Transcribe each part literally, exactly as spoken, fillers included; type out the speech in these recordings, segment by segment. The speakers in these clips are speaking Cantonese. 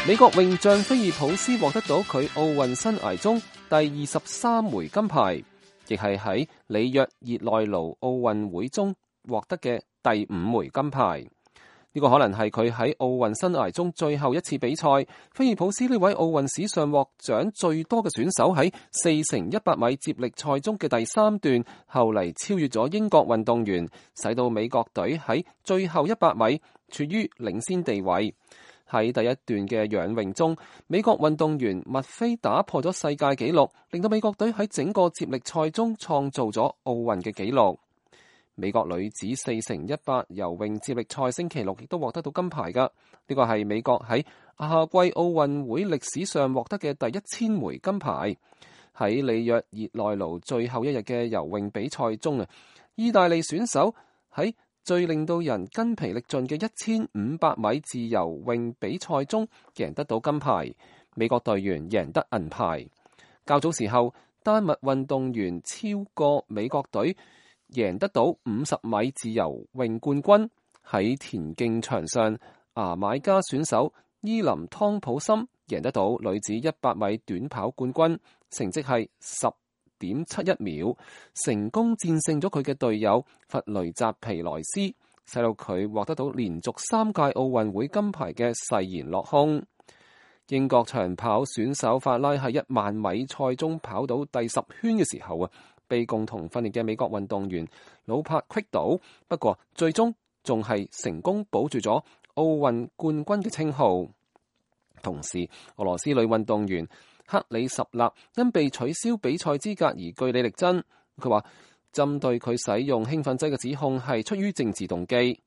美國泳將菲爾普斯獲得到佢奧運生涯中第二十三枚金牌，亦係喺里約熱內盧奧運會中獲得嘅第五枚金牌。呢個可能係佢喺奧運生涯中最後一次比賽。菲爾普斯呢位奧運史上獲獎最多嘅選手喺四乘一百米接力賽中嘅第三段，後嚟超越咗英國運動員，使到美國隊喺最後一百米處於領先地位。喺第一段嘅仰泳中，美國運動員麥菲打破咗世界紀錄，令到美國隊喺整個接力賽中創造咗奧運嘅紀錄。美國女子四乘一百游泳接力賽星期六亦都獲得到金牌㗎，呢個係美國喺夏季奧運會歷史上獲得嘅第一千枚金牌。喺里約熱內盧最後一日嘅游泳比賽中啊，意大利選手喺最令到人筋疲力盡嘅一千五百米自由泳比賽中贏得到金牌，美國隊員贏得銀牌。較早時候，丹麥運動員超過美國隊，贏得到五十米自由泳冠軍。喺田徑場上，牙買加選手伊林湯普森贏得到女子一百米短跑冠軍，成績係十點七一秒，成功戰勝咗佢嘅隊友弗雷澤皮萊斯，使到佢獲得到連續三屆奧運會金牌嘅誓言落空。英國長跑選手法拉喺一萬米賽中跑到第十圈嘅時候啊，被共同訓練嘅美國運動員魯柏擊倒，不過最終仲係成功保住咗奧運冠軍嘅稱號。同時，俄羅斯女運動員克里什納因被取消比賽資格而據理力爭。佢話針對佢使用興奮劑嘅指控係出於政治動機。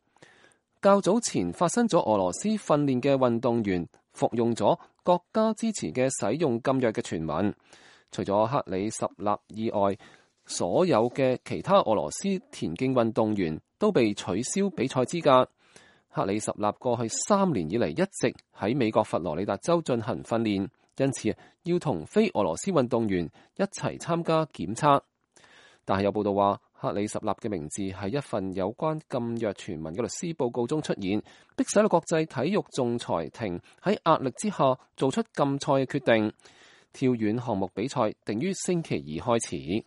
較早前發生咗俄羅斯訓練嘅運動員服用咗國家支持嘅使用禁藥嘅傳聞。除咗克里什納以外，所有嘅其他俄羅斯田徑運動員都被取消比賽資格。克里什納過去三年以嚟一直喺美國佛羅里達州進行訓練，因此要同非俄羅斯運動員一齊參加檢測。但係有報道話，克里什納嘅名字喺一份有關禁藥傳聞嘅律師報告中出現，迫使到國際體育仲裁庭喺壓力之下做出禁賽嘅決定。跳遠項目比賽定於星期二開始。